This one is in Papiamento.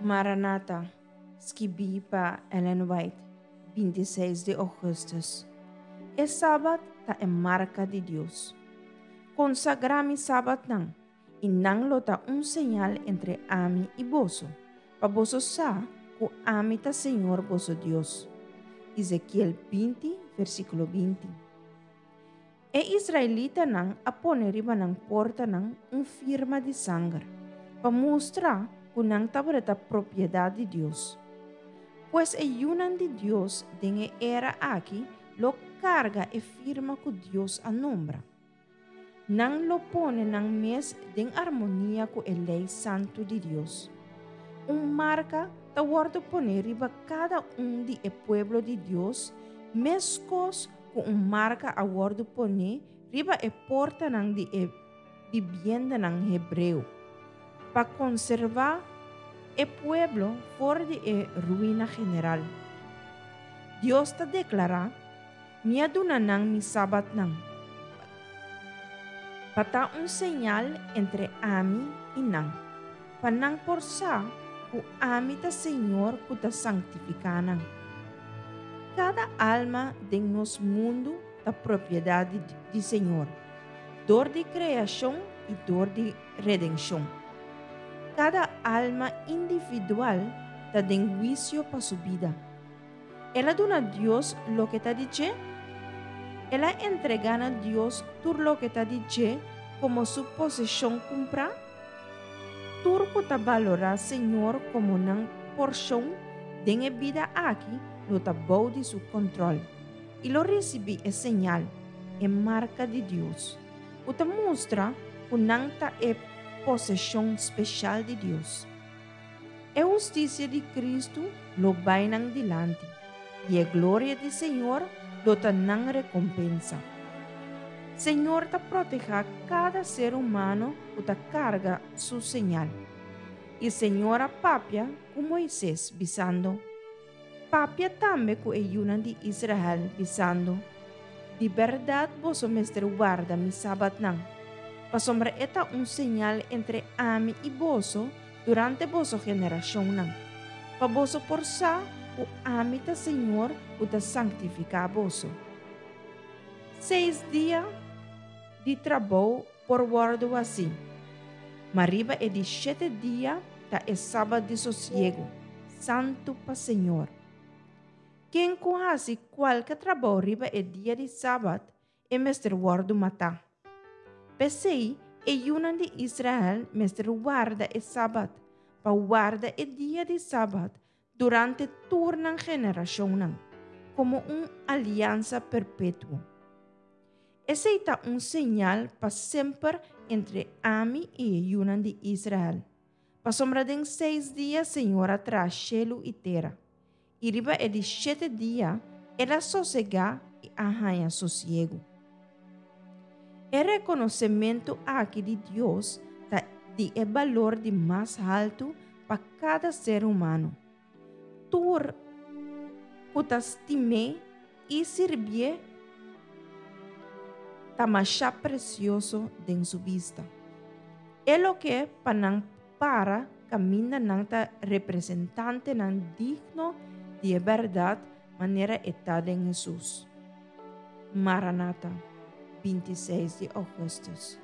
Maranata, skibí pa Ellen White, 26 di ougùstùs. E Sabat ta e marka di Dios. Konsagrá mi sabatnan, i nan lo ta un señal entre ami i boso, pa boso sa ku ami ta Señor boso Dios. Ezekiel 20, versíkulo 20. E israelitanan a pone riba nan portanan un firma di sanger, pa mustra ku nan tabata propiedat di Dios. Pues e yunan di Dios den e era aki lo karga e firma ku Dios a nombra. Nan lo pone nan mes den armonia ku e lei santu di Dios. Un marka ta wòrdu poné riba kada un di e pueblo di Dios meskos ku un marka a wòrdu poné riba e portanan di e bibiendanan hebreo, pa konservá e pueblo for di e ruina general. Dios ta deklará, Mi a duna nan mi sabatnan, pa ta un señal entre ami i nan, pa nan por sa ku ami ta Señor ku ta sanktifiká nan. Kada alma den nos mundu ta propiedat di Señor, dor di kreashon i dor di redenshon. Kada alma individual ta den huisio pa su bida. El a duna Dios loke ta di dje? El a entregá na Dios tur loke ta di dje komo su poseshon kumprá? Tur ku ta balorá Señor komo nan porshon den e bida aki lo ta bou di su kòntròl i lo risibí e señal, e marka di Dios, ku ta mustra ku nan ta e poseshon speshal di Dios. E hustisia di Kristu lo bai nan dilanti, i e gloria di Señor lo ta nan rekompensa. Señor ta protehá kada ser humano ku ta karga su señal. I Señor a papia ku Moises, bisando, Papia tambe ku e yunan di Israel, bisando, Di bèrdat boso mester warda mi sabatnan, pasobra e ta un señal entre ami i boso durante boso generashonnan, pa boso por sa ku ami ta señor ku ta sanktifiká boso. Seis dia di trabou por wòrdu hasí, ma riba e di shete dia ta e sabat di sosiegu, santu pa señor. Ken ku hasi kualke trabou riba e dia di sabat, e mester wòrdu matá. P'esei, e yunan di Israel mester warda e sabat, pa warda e dia di sabat durante tur nan generashonnan, komo un aliansa perpetuo. Esei ta un señal pa semper entre ami i e yunan di Israel, pasobra den seis dia señor a traha shelu i tera, I riba e di shete dia el a sosegá i a haña sosiegu. E rekonosementu aki di Dios ta di e balor di mas haltu pa kada ser humano. Tur ku ta stim'é i sirbié ta masha presioso den su bista. E loke pa nan para kaminda nan ta representantenan digno di e bèrdat manera e ta den Hesus. Maranata, 26 di ougùstùs.